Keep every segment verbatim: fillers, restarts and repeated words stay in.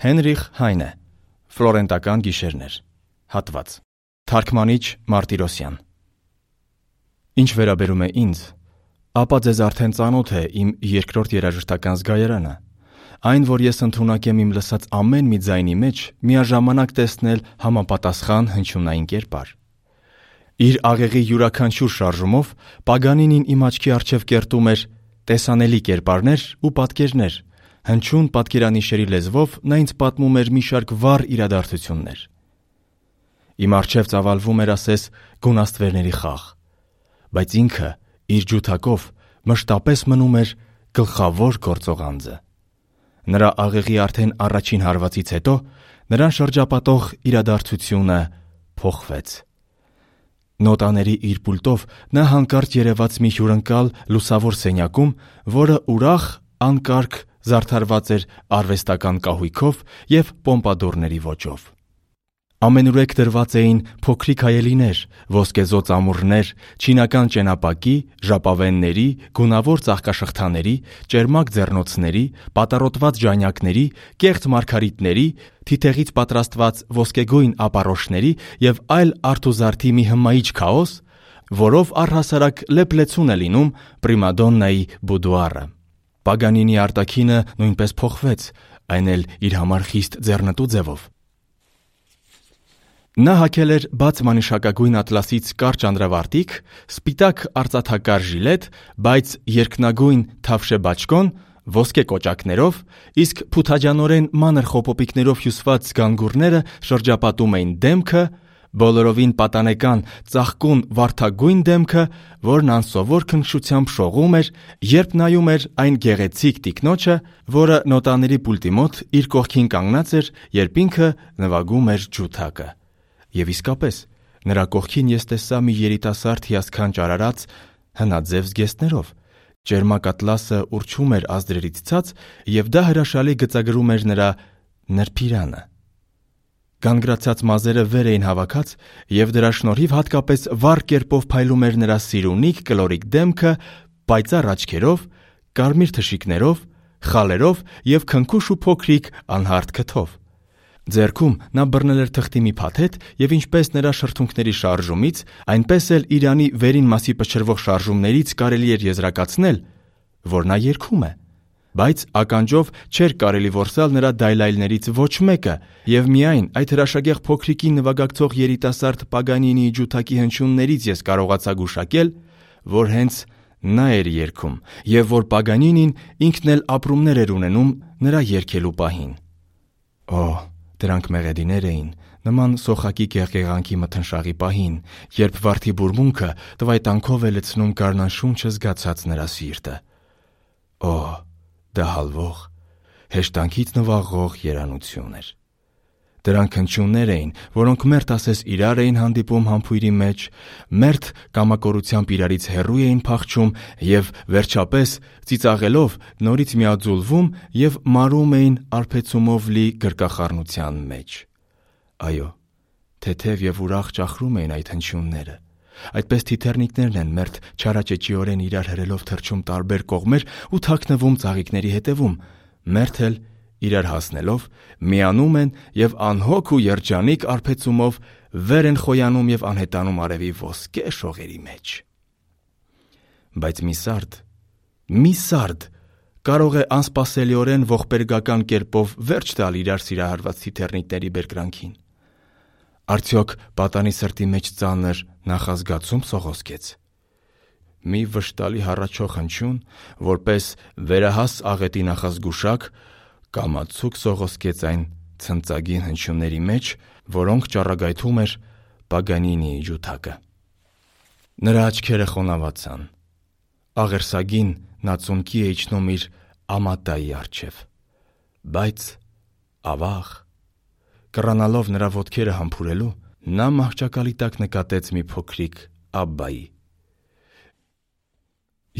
Հենրիխ Հայնե, Ֆլորենտական գիշերներ, հատված, թարգմանիչ Մարտիրոսյան։ Ինչ վերաբերում է ինձ, ապա ձեզ արդեն ծանոթ է իմ երկրորդ երաժշտական զգայարանը, այն, որ ես ընդունակ եմ իմ լսած ամեն մի ձայնի մեջ միաժամանակ տեսնել համապատասխան հնչյունային կերպար։ Իր աղեղի յուրաքանչյուր շարժումով Պագանինին իմ աչքի առջև կերտում էր տեսանելի կերպարներ ու պատկերներ, հնչյուն պատկերանիշերի լեզվով նա ինձ պատմում էր մի շարք վառ իրադարձություններ։ Իմ առջև ծավալվում էր ասես գունաստվերների խաղ, բայց ինքը իր ջութակով մշտապես մնում էր գլխավոր գործող անձը։ Նրա աղեղի արդեն առաջին հարվածից հետո նրան շրջապատող իրադարձությունը փոխվեց։ Նոտաների իր պուլտով նա հանկարծ երևաց մի հյուրընկալ լուսավոր սենյակում, որը ուրախ, անկարգ զարդարված էր արվեստական կահույքով և պոմպադորների ոճով։ Ամենուրեք դրված էին փոքրիկ հայելիներ, ոսկեզօծ ամուռներ, չինական ճենապակի, ժապավենների, գունավոր ծաղկաշղթաների, ճերմակ ձեռնոցների, պատառոտված ժանյակների, կեղծ մարգարիտների, թիթեղից պատրաստված ոսկեգույն ապարոշների և այլ արթուզարդի մի հմայիչ քաոս, որով առհասարակ լեփլեցուն է լինում պրիմադոննայի բուդուարը։ Պագանինի արտաքինը նույնպես փոխվեց, այն էլ իր համար խիստ ձեռնտու ձևով։ Նա հագել էր բաց մանիշակագույն ատլասից կարճ անդրավարտիք, սպիտակ արծաթակար ժիլետ, բայց երկնագույն թավշե բաճկոն, ոսկե կոճակներով, իսկ փութաջանորեն մանր խոպոպիկներով հյուսված գանգուրները շրջապատում էին դեմքը, բոլորովին պատանեկան ծաղկուն վարդագույն դեմքը, որն անսովոր քնքշությամբ շողում էր, երբ նայում էր այն գեղեցիկ տիկնոջը, որը նոտաների պուլտի մոտ իր կողքին կանգնած էր, երբ ինքը նվագում էր ջութակը։ Եվ իսկապես, նրա կողքին ես տեսա մի երիտասարդ հիասքանչ արարած հնաձև զգեստներով։ Ճերմակ ատլասը ուռչում էր ազդրերից ցած, և դա հրաշալի գծագրում էր նրա նրբիրանը։ Գանգրացած մազերը վեր էին հավաքած, և դրա շնորհիվ հատկապես վառ կերպով փայլում էր նրա սիրունիկ կլորիկ դեմքը պայծառ աչքերով, կարմիր թշիկներով, խալերով և քնքուշ ու փոքրիկ անհարթ քթով։ Ձեռքում նա բռնել էր թղթի մի փաթեթ և ինչպես նրա շրթունքների շարժումից, այնպես էլ իրանի վերին մասի փչրվող շարժումներից կարելի էր եզրակացնել, որ նա երգում է, բայց ականջով չէր կարելի որսալ նրա դայլայլներից ոչ մեկը, և միայն այդ հրաշագեղ փոքրիկին նվագակցող երիտասարդ Պագանինիի ջութակի հնչյուններից ես կարողացա գուշակել, որ հենց նա էր երգում, և որ Պագանինին ինքն էլ ապրումներ էր ունենում նրա երգելու պահին։ Օ, դրանք մեղեդիներ էին, նման սոխակի գեղգեղանքի մթնշաղի պահին, երբ վարդի բուրմունքը տվայտանքով է լցնում գարնանշունչը զգացած նրա սիրտը։ Օ, դա հալվող, հեշտանքից նվաղող երանություն էր։ Դրանք հնչյուններ էին, որոնք մերթ ասես իրար էին հանդիպում համբույրի մեջ, մերթ կամակորությամբ իրարից հեռու էին փախչում և վերջապես ծիծաղելով նորից միաձուլվում և մարում էին արբեցումով լի գրկախառնության մեջ։ Այո, թեթև և ուրախ ճախրում էին այդ հնչյունները։ Այդպես թիթեռնիկներն են մերթ չարաճճիորեն իրար հրելով թռչում տարբեր կողմեր ու թաքնվում ծաղիկների հետևում, մերթ էլ իրար հասնելով միանում են և անհոգ ու երջանիկ արբեցումով վեր են խոյանում և անհետանում արևի ոսկե շողերի մեջ։ Բայց մի սարդ, մի սարդ կարող է անսպասելիորեն ողբերգական կերպով վերջ տալ իրար սիրահարված թիթեռնիկների բերկրանքին։ Արդյոք պատանի սրտի մեջ ծանր նախազգացում սողոսկեց։ Մի վշտալի հառաչող հնչյուն, որպես վերահաս աղետի նախազգուշակ, կամացուկ սողոսկեց այն ցնծագին հնչյունների մեջ, որոնք ճառագայթում էր Պագանինիի ջութակը։ Նրա աչքերը խոնավացան։ Աղերսագին նա ծունկի է իջնում իր ամատայի առջև։ Բայց ավաղ, կռանալով նրա ոտքերը համբուրելու, նա մահճակալի տակ նկատեց մի փոքրիկ Աբբայի։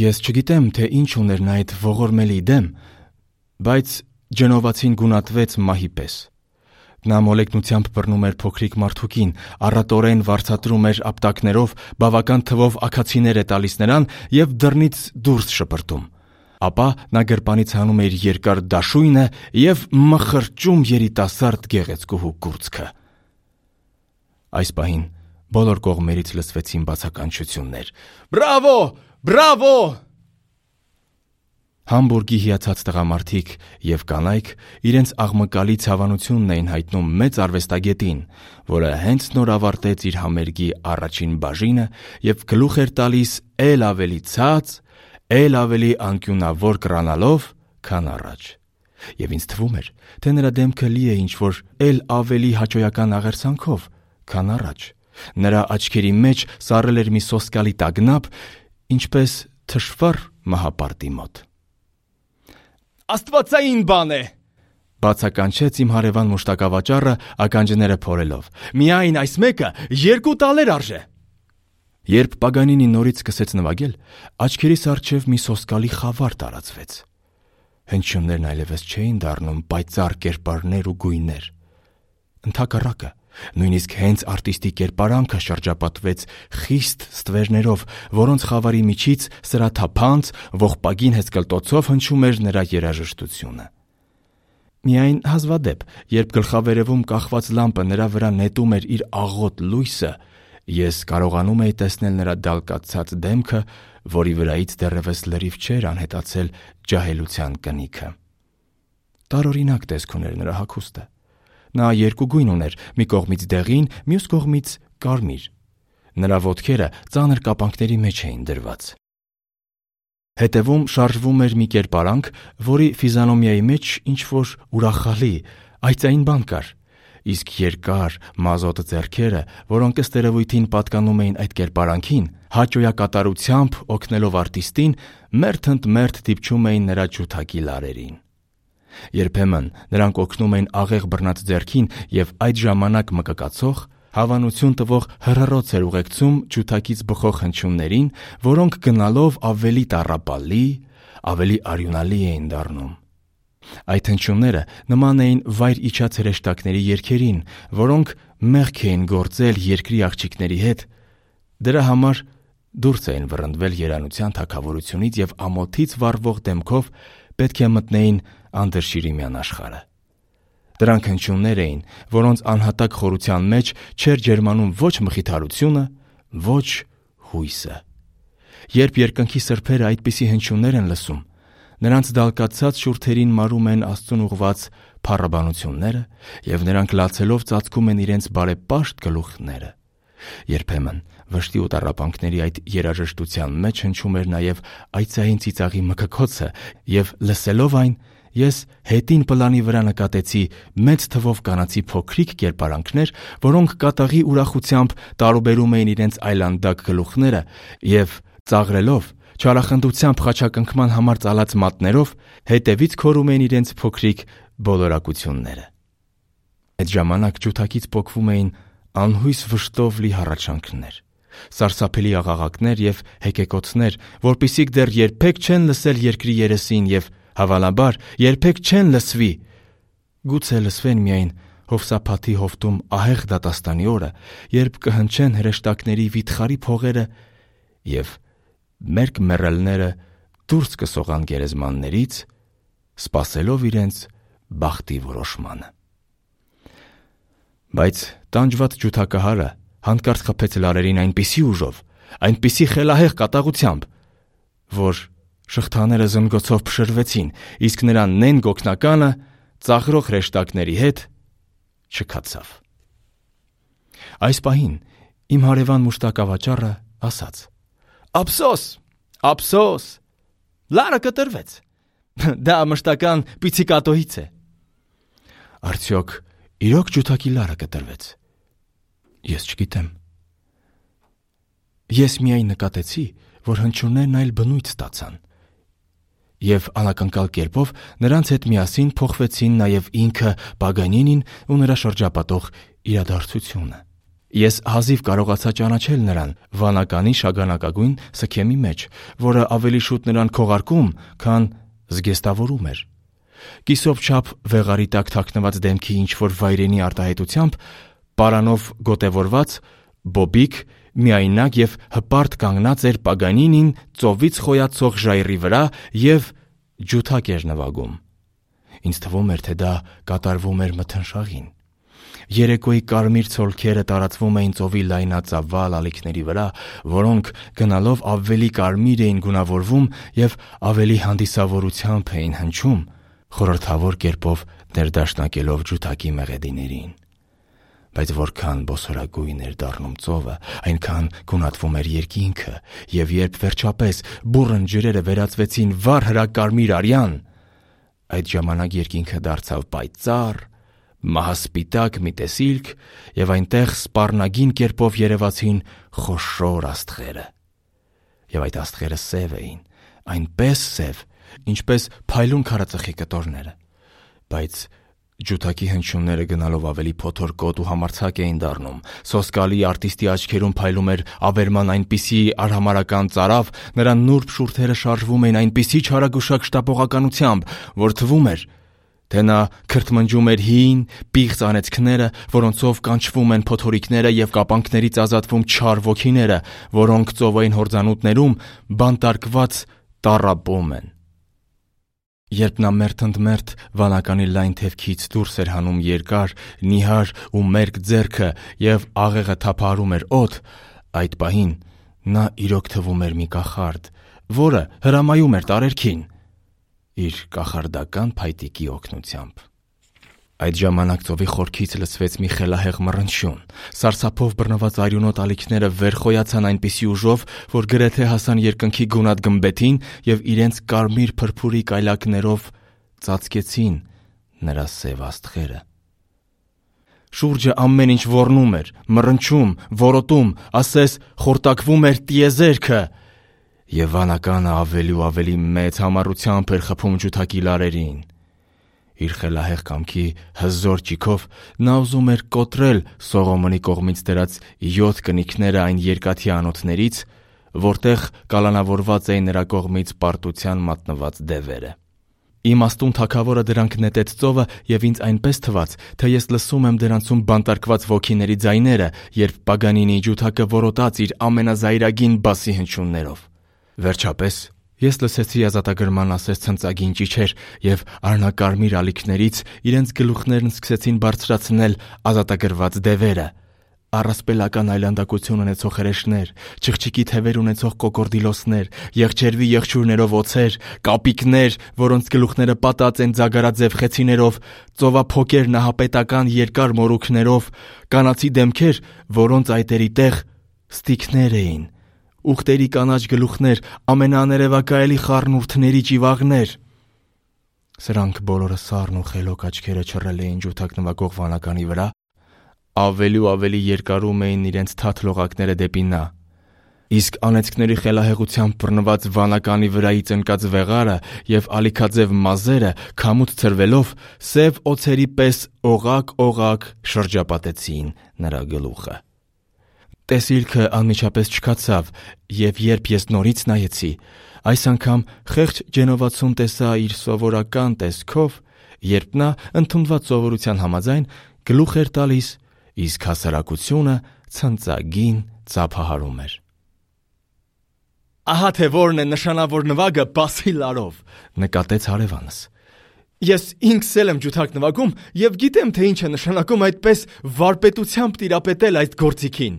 Ես չգիտեմ, թե ինչ ուներ նա այդ ողորմելի դեմ, բայց ջնովացին գունատվեց մահի պես։ Նա մոլեգնությամբ բռնում էր փոքրիկ մարդուկին, առատորեն վարձատրում էր ապտակներով, բավական թվով աքացիներ է տալիս նրան և դռնից դուրս շպրտում։ ապա նա գրպանից հանում էր երկար դաշույնը և մխրճում երիտասարդ գեղեցկուհու կուրծքը։ Այս պահին բոլոր կողմերից լսվեցին բացականչություններ. «Բրավո! Բրավո!» Համբուրգի հիացած տղամարդիկ և կանայք իրենց աղմկալի ցավանությունն էին հայտնում մեծ արվեստագետին, որը հենց նոր ավարտեց իր համերգի առաջին բաժինը և գլուխ էր տալիս էլ ավելի ցած, էլ ավելի անկյունավոր կռանալով, քան առաջ։ Եվ ինձ թվում էր, թե նրա դեմքը լի է ինչ-որ էլ ավելի հաճոյական աղերսանքով, քան առաջ։ Նրա աչքերի մեջ սառել էր մի սոսկալի տագնապ, ինչպես թշվառ մահապարտի մոտ։ «Աստվածային բան է», բացականչեց իմ հարևան մուշտակավաճառը ականջները փորելով։ «Միայն այս մեկը երկու տալեր արժե»։ Երբ Պագանինին նորից սկսեց նվագել, աչքերիս առջև մի սոսկալի խավար տարածվեց։ Հնչյուններն այլևս չէին դառնում պայծառ կերպարներ ու գույներ։ Ընդհակառակը, նույնիսկ հենց արտիստի կերպարանքը շրջապատվեց խիստ ստվերներով, որոնց խավարի միջից սրաթափանց, ողբագին հեծկլտոցով հնչում էր նրա երաժշտությունը։ Միայն հազվադեպ, երբ գլխավերևում կախված լամպը նրա վրա նետում էր իր աղոտ լույսը, ես կարողանում էի տեսնել նրա դալկացած դեմքը, որի վրայից դեռևս լրիվ չէր անհետացել ջահելության կնիքը։ Տարօրինակ տեսք ուներ նրա հագուստը։ Նա երկու գույն ուներ՝ մի կողմից դեղին, մյուս կողմից կարմիր։ Նրա ոտքերը ծանր կապանքների մեջ էին դրված։ Հետևում շարժվում էր մի կերպարանք, որի ֆիզիոնոմիայի մեջ ինչ-որ ուրախալի, այծային բան կար, իսկ երկար, մազոտ ձեռքերը, որոնք ըստ երևույթին պատկանում էին այդ կերպարանքին, հաճոյակատարությամբ օգնելով արտիստին, մերթ ընդ մերթ դիպչում էին նրա ջութակի լարերին։ Երբեմն նրանք օգնում էին աղեղ բռնած ձեռքին և այդ ժամանակ մկկացող, հավանություն տվող հռռոց էր ուղեկցում ջութակից բխող հնչյուններին, որոնք գնալով ավելի տառապալի, ավելի արյունալի էին դառնում։ Այդ հնչյունները նման էին վայր իջած հրեշտակների երգերին, որոնք մեղք էին գործել երկրի աղջիկների հետ, դրա համար դուրս էին վռնդվել երանության թագավորությունից և ամոթից վառվող դեմքով պետք է մտնեին անդրշիրիմյան աշխարհը։ Դրանք հնչյուններ էին, որոնց անհատակ խորության մեջ չէր ջերմանում ոչ մխիթարությունը, ոչ հույսը։ Երբ երկնքի սրբերը այդպիսի հնչյուններ են լսում, նրանց դալկացած շուրթերին մարում են Աստծուն ուղղված փառաբանությունները, և նրանք լացելով ծածկում են իրենց բարեպաշտ գլուխները։ Երբեմն վշտի ու տառապանքների այդ երաժշտության մեջ հնչում էր նաև այծային ծիծաղի մկկոցը, և լսելով այն, ես հետին պլանի վրա նկատեցի մեծ թվով կանացի փոքրիկ կերպարանքներ, որոնք կատաղի ուրախությամբ տարուբերում էին իրենց այլանդակ գլուխները և ծաղրելով, չարախնդությամբ խաչակնքման համար ծալած մատներով հետևից քորում էին իրենց փոքրիկ բոլորակությունները։ Այդ ժամանակ ջութակից պոկվում էին անհույս վշտով լի հառաչանքներ, սարսափելի աղաղակներ և հեկեկոցներ, որպիսիք դեռ երբեք չեն լսել երկրի երեսին և, հավանաբար, երբեք չեն լսվի, գուցե լսվեն միայն Հովսափաթի հովտում ահեղ դատաստանի օրը, երբ կհնչեն հրեշտակների վիթխարի փողերը և մերկ մեռելները դուրս կսողան գերեզմաններից, սպասելով իրենց բախտի որոշմանը։ Բայց տանջված ջութակահարը հանկարծ խփեց լարերին այնպիսի ուժով, այնպիսի խելահեղ կատաղությամբ, որ շղթաները զնգոցով փշրվեցին, իսկ նրա նեն գոգնականը ծաղրող հրեշտակների հետ չքացավ։ Այս պահին իմ հարևան մուշտակավաճառը ասաց. «Ափսոս, ափսոս, լարը կտրվեց, դա մշտական պիցիկատոից է»։ Արդյոք իրոք ջութակի լարը կտրվեց։ Ես չգիտեմ։ Ես միայն նկատեցի, որ հնչյուններն այլ բնույթ ստացան, և անակնկալ կերպով նրանց հետ միասին փոխվեցին նաև ինքը Պագանինին ու նրա շրջապատող իրադարձությունը։ Ես հազիվ կարողացա ճանաչել նրան վանականի շագանակագույն սքեմի մեջ, որը ավելի շուտ նրան քողարկում, քան զգեստավորում էր։ Կիսով չափ վեղարի տակ թաքնված դեմքի ինչ-որ վայրենի արտահայտությամբ, պարանով գոտևորված, բոբիկ, միայնակ և հպարտ կանգնած էր Պագանինին ծովից խոյացող ժայռի վրա և ջութակ էր նվագում։ Ինձ թվում էր, թե դա կատարվում էր մթնշաղին։ Երեկոյի կարմիր ցոլքերը տարածվում էին ծովի լայնածավալ ալիքների վրա, որոնք գնալով ավելի կարմիր էին գունավորվում և ավելի հանդիսավորությամբ էին հնչում, խորհրդավոր կերպով ներդաշնակելով ջութակի մեղեդիներին։ Բայց որքան բոսորագույն էր դառնում ծովը, այնքան գունատվում էր երկինքը, և երբ վերջապես բուռն ջրերը վերածվեցին վառ հրակարմիր արյան, այդ ժամանակ երկինքը դարձավ պայծառ, մահասպիտակ մի տեսիլք, և այնտեղ սպառնագին կերպով երևացին խոշոր աստղերը։ Եվ այդ աստղերը սև էին, այնպես սև, ինչպես փայլուն քարածխի կտորները, բայց ջութակի հնչյունները գնալով ավելի փոթորկոտ ու համարձակ էին դառնում։ Սոսկալի արտիստի աչքերում փայլում էր ավերման այնպիսի արհամարհական ծարավ, նրա նուրբ շուրթերը շարժվում էին այնպիսի չարագուշակ շտապողականությամբ, որ թվում էր, թե նա քրթմնջում էր հին, պիղծ անեծքները, որոնցով կանչվում են փոթորիկները և կապանքներից ազատվում չար ոգիները, որոնք ծովային հորձանուտներում բանտարկված տառապում են։ Երբ նա մերթ ընդ մերթ վանականի լայն թևքից դուրս էր հանում երկար, նիհար ու մերկ ձեռքը և աղեղը թափահարում էր օդ, այդ պահին նա իրոք թվում էր մի կախարդ, որը հրամայում էր տարերքին իր կախարդական փայտիկի օգնությամբ։ Այդ ժամանակ ծովի խորքից լսվեց մի խելահեղ մռնչյուն։ Սարսափով բռնված արյունոտ ալիքները վեր խոյացան այնպիսի ուժով, որ գրեթե հասան երկնքի գունատ գմբեթին և իրենց կարմիր փրփուրիկ այլակներով ծածկեցին նրա սև աստղերը։ Շուրջը ամեն ինչ ոռնում էր, մռնչում, որոտում, ասես խորտակվում էր տիեզերքը, և վանականը ավելի ու ավելի մեծ համառությամբ էր խփում ջութակի լարերին։ Իր խելահեղ կամքի հզոր ճիգով նա ուզում էր կոտրել Սողոմոնի կողմից դրած յոթ կնիքները այն երկաթի անոթներից, որտեղ կալանավորված էին նրա կողմից պարտության մատնված դևերը։ Իմաստուն թագավորը դրանք նետեց ծովը, և ինձ այնպես թվաց, թե ես լսում եմ դրանցում բանտարկված ոգիների ձայները, երբ Պագանինիի ջութակը որոտաց իր ամենազայրագին բասի հնչյուններով։ Վերջապես ես լսեցի ազատագրման ասես ցնծագին ճիչեր, և արհնակարմիր ալիքներից իրենց գլուխներն սկսեցին բարձրացնել ազատագրված դևերը։ Առասպելական այլանդակություն ունեցող հրեշներ, չղջիկի թևեր ունեցող կոկորդիլոսներ, եղջերվի եղջյուրներով օձեր, կապիկներ, որոնց գլուխները պատած են ձագարաձև խեցիներով, ծովափոկեր նահապետական երկար մորուքներով, կանացի դեմքեր, որոնց այտերի տեղ ստիքներ էին, ուղտերի կանաչ գլուխներ, ամենաաներևակայելի խառնուրդների ճիվաղներ։ Սրանք բոլորը սառն ու խելոք աչքերը չռել էին ջութակ նվագող վանականի վրա, ավելի ու ավելի երկարում էին իրենց թաթ լողակները դեպի նա, իսկ անեծքների խելահեղությամբ բռնված վանականի վրայից ընկած վեղարը և ալիքաձև մազերը քամուց ցրվելով սև օձերի պես օղակ-օղակ շրջապատեցին նրա գլուխը։ Տեսիլքը անմիջապես չքացավ, և երբ ես նորից նայեցի, այս անգամ խեղճ ջենովացուն տեսա իր սովորական տեսքով, երբ նա ընդունված սովորության համաձայն գլուխ էր տալիս, իսկ հասարակությունը ցնծագին ծափահարում էր։ «Ահա թե որն է նշանավոր նվագը բասի լարով», նկատեց հարևանս։ «Ես ինքս էլ եմ ջութակ նվագում և գիտեմ, թե ինչ է նշանակում այդպես վարպետությամբ տիրապետել այդ գործիքին»։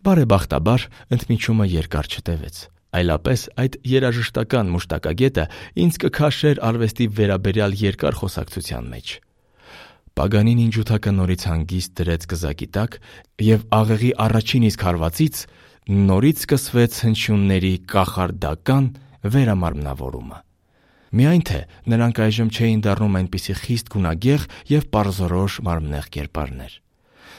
Բարեբախտաբար ընդմիջումը երկար չտևեց, այլապես այդ երաժշտական մուշտակագետը ինձ կքաշեր արվեստի վերաբերյալ երկար խոսակցության մեջ։ Պագանինին ջութակը նորից հանգիստ դրեց կզակի տակ, և աղեղի առաջին իսկ հարվածից նորից սկսվեց հնչյունների կախարդական վերամարմնավորումը։ Միայն թե նրանք այժմ չէին դառնում այնպիսի խիստ գունագեղ և պարզորոշ մարմնեղ կերպարներ։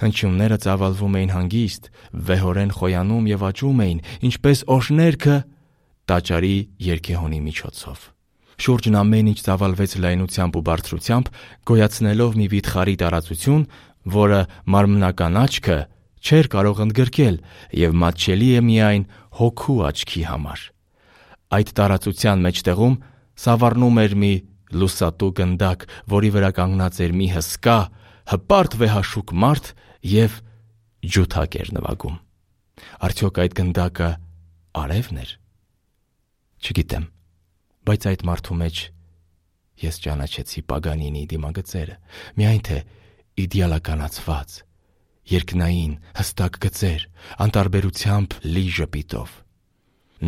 Հնչյունները ծավալվում էին հանգիստ, վեհորեն խոյանում և աճում էին, ինչպես օշներգը տաճարի երգեհոնի միջոցով։ Շուրջն ամեն ինչ ծավալվեց լայնությամբ ու բարձրությամբ, գոյացնելով մի վիթխարի տարածություն, որը մարմնական աչքը չէր կարող ընդգրկել և մատչելի է միայն հոգու աչքի համար։ Այդ տարածության մեջտեղում սավառնում էր մի լուսատու գնդակ, որի վրա կանգնած էր մի հսկա, հպարտ վեհաշուկ մարդ և ջութակ էր նվագում։ Արդյոք այդ գնդակը արևն էր։ Չգիտեմ։ Բայց այդ մարդու մեջ ես ճանաչեցի Պագանինի դիմագծերը, միայն թե իդեալականացված, երկնային, հստակ գծեր, անտարբերությամբ լի ժպիտով։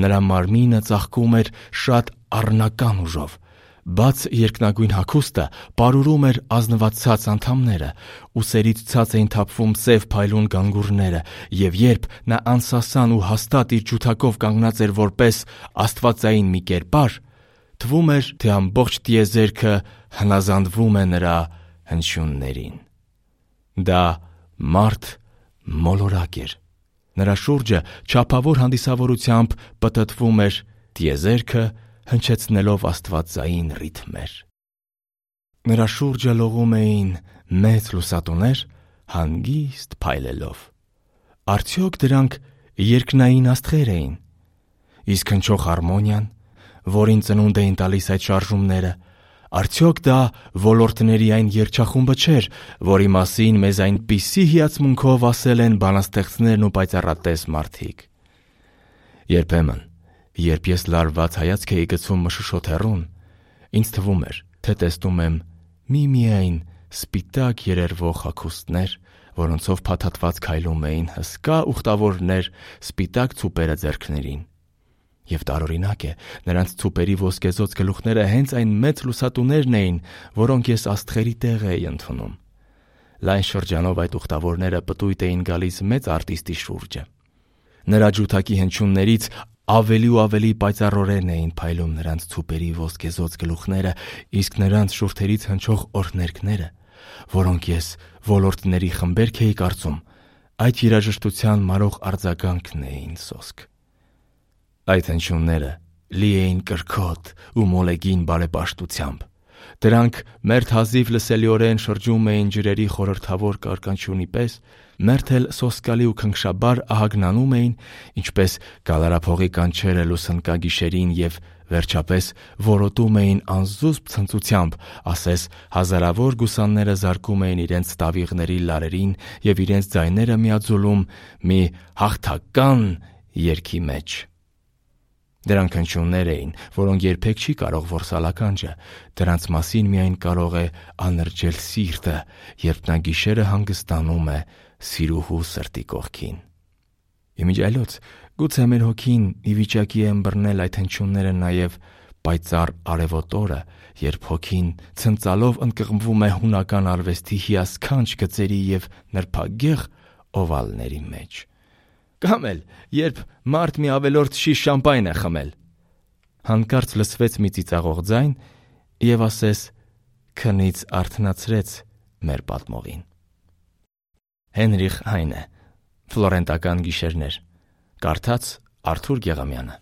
Նրա մարմինը ծաղկում էր շատ առնական ուժով, բաց երկնագույն հագուստը պարուրում էր ազնվացած անդամները, ուսերից ցած էին թափվում սև փայլուն գանգուրները, և երբ նա անսասան ու հաստատ իր ջութակով կանգնած էր որպես աստվածային մի կերպար, թվում էր, թե ամբողջ տիեզերքը հնազանդվում է նրա հնչյուններին։ Դա մարդ մոլորակ էր։ Նրա շուրջը չափավոր հանդիսավորությամբ պտտվում էր տիեզերքը, հնչեցնելով աստվածային ռիթմեր։ Նրա շուրջը լողում էին մեծ լուսատուներ, հանգիստ փայլելով։ Արդյոք դրանք երկնային աստղեր էին։ Իսկ հնչող հարմոնիան, որին ծնունդ էին տալիս այդ շարժումները, արդյոք դա ոլորտների այն երգչախումբը չէր, որի մասին մեզ այնպիսի հիացմունքով ասել են բանաստեղծներն ու պայծառատես մարդիկ։ Երբեմն, երբ ես լարված հայացք էի գցում մշուշոտ հեռուն, ինձ թվում էր, թե տեսնում եմ միմիայն սպիտակ երերվող հագուստներ, որոնցով փաթաթված քայլում էին հսկա ուխտավորներ սպիտակ ցուպերը ձեռքներին։ Եվ տարօրինակ է, նրանց ցուպերի ոսկեզօծ գլուխները հենց այն մեծ լուսատուներն էին, որոնք ես աստղերի տեղ էի ընդունում։ Լայն շրջանով այդ ուխտավորները պտույտ էին գալիս մեծ արտիստի շուրջը։ Նրա ջութակի հնչյուններից ավելի ու ավելի պայծառորեն էին փայլում նրանց ցուպերի ոսկեզօծ գլուխները, իսկ նրանց շուրթերից հնչող օրհներգները, որոնք ես ոլորտների խմբերք էի կարծում, այդ երաժշտության մարող արձագանքն էին սոսկ։ Այդ հնչյունները լի էին կրքոտ ու մոլեգին բարեպաշտությամբ։ Դրանք մերթ հազիվ լսելիորեն շրջում էին ջրերի խորհրդավոր կարկանչյունի պես, մերթ էլ սոսկալի ու քնքշաբար ահագնանում էին, ինչպես գալարափողի կանչերը լուսնկագիշերին, և վերջապես որոտում էին անզուսպ ցնծությամբ, ասես հազարավոր գուսանները զարկում էին իրենց տավիղների լարերին և իրենց ձայները միաձուլում մի հաղթական երգի մեջ։ Դրանք հնչյուններ էին, որոնք երբեք չի կարող որսալ ականջը, դրանց մասին միայն կարող է անրջել սիրտը, երբ նա գիշերը հանգստանում է սիրուհու սրտի կողքին։ Իմիջիայլոց, գուցե մեր հոգին ի վիճակի է ըմբռնել այդ հնչյունները նաև պայծառ արևոտ օրը, երբ հոգին ցնծալով ընկղմվում է հունական արվեստի հիասքանչ գծերի և նրբագեղ օվալների մեջ։ Կամ էլ, երբ մարդ մի ավելորդ շիշ շամպայն է խմել։ Հանկարծ լսվեց մի ծիծաղող ձայն և ասես քնից արթնացրեց մեր պատմողին։ Հենրիխ Հայնե, Ֆլորենտական գիշերներ, կարդաց Արթուր Գեղամյանը։